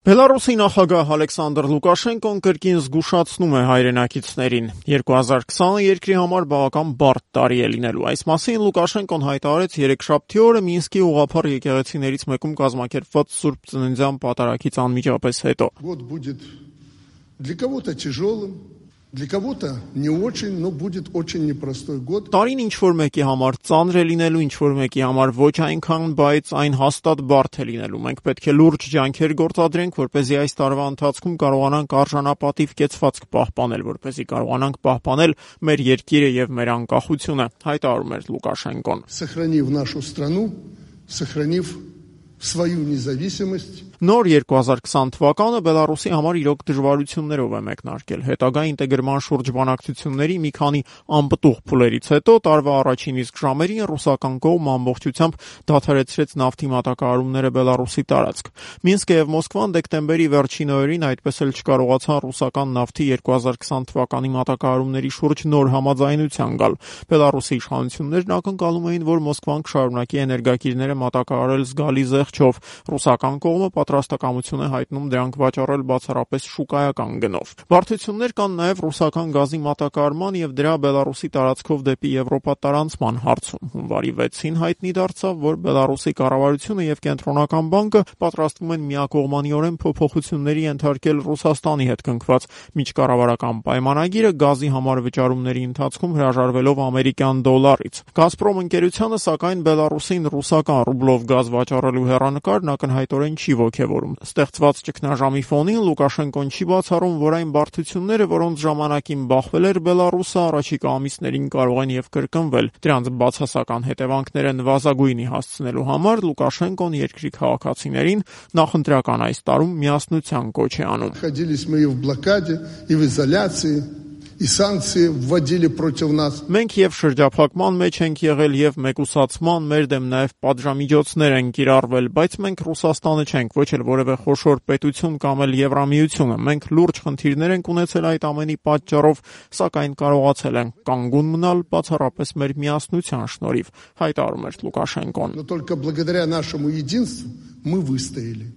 Բելարուսի նախագահ Ալեքսանդր Լուկաշենկոն կրկին զգուշացնում է հայրենակիցներին. 2020-ը երկրի համար բավական բարդ տարի է լինելու։ Այս մասին Լուկաշենկոն հայտարարեց երեքշաբթի օրը Մինսկի ուղղափառ եկեղեցիներից մեկում կազմակերպված Սուրբ Ծննդյան պատարագից անմիջապես հետո։ Год будет для кого-то тяжелым, для кого-то не очень, но будет очень непростой год. Տարին ինչ-որ մեկի համար ծանր է լինելու, ինչ-որ մեկի համար ոչ այնքան, բայց այն հաստատ բարդ է լինելու։ Մենք պետք է լուրջ ջանքեր գործադրենք, որպեսզի այս տարվա ընթացքում կարողանանք արժանապատիվ կեցվածք պահպանել, որպեսզի կարողանանք պահպանել մեր երկիրը եւ մեր անկախությունը, հայտարարում էր Լուկաշենկոն։ Сохранив нашу страну, сохранив свою независимость. Նոր 2020 թվականը Բելարուսի համար իրոք դժվարություններով է մեկնարկել։ Հետագա ինտեգրման շուրջ բանակցությունների մի քանի անպտուղ փուլերից հետո տարվա առաջին իսկ ժամերին ռուսական կողմը ամբողջությամբ դադարեցրեց նավթի մատակարարումները Բելարուսի տարածք։ Մինսկը եւ Մոսկվան դեկտեմբերի վերջին օրերին այդպես էլ չկարողացան ռուսական նավթի 2020 թվականի մատակարարումների շուրջ նոր համաձայնության գալ։ Բելարուսի իշխանություններն ակնկալում էին, որ Մոսկվան կշարունակի էներգակիրները մատակարարել զգալի զեղչով։ Ռուսական կողմը պատրաստակամություն է հայտնում դրանք վաճառել բացառապես շուկայական գնով։ Բարդություններ կան նաև ռուսական գազի մատակարարման եւ դրա Բելարուսի տարածքով դեպի Եվրոպա տարանցման հարցում։ Հունվարի 6-ին հայտնի դարձավ, որ Բելարուսի կառավարությունը եւ Կենտրոնական բանկը պատրաստվում են միակողմանիորեն փոփոխությունների ենթարկել Ռուսաստանի հետ կնքված միջկառավարական պայմանագիրը գազի համար վճարումների ընթացքում հրաժարվելով ամերիկյան դոլարից։ Գազպրոմ ընկերությանը սակայն Բելարուսին ռուսական ռուբլով գազ վաճառելու հեռանկարն ակնհայտորեն չի ոգևորում։ Ստեղծված ճգնաժամի ֆոնին Լուկաշենկոն չի բացառում, որ այն բարդությունները, որոնց ժամանակին բախվել էր Բելարուսը, առաջիկա ամիսներին կարող են եւ կրկնվել։ Դրանց բացասական հետևանքները նվազագույնի հասցնելու համար Լուկաշենկոն երկրի քաղաքացիներին նախընտրական այս տարում միասնության կոչ է անում։ Находились мы и в блокаде, и в изоляции. И санкции вводили против нас. Մենք եւ շրջափակման մեջ ենք եղել եւ մեկուսացման, մեր դեմ նաեւ պատժամիջոցներ են կիրառվել, բայց մենք Ռուսաստանը չենք, ոչ էլ որևէ խոշոր պետություն կամ էլ Եվրամիությունը։ Մենք լուրջ խնդիրներ ենք ունեցել այդ ամենի պատճառով, սակայն կարողացել ենք կանգուն մնալ բացառապես մեր միասնության շնորհիվ, հայտարարում էր Լուկաշենկոն։ Но только благодаря нашему единству мы выстояли.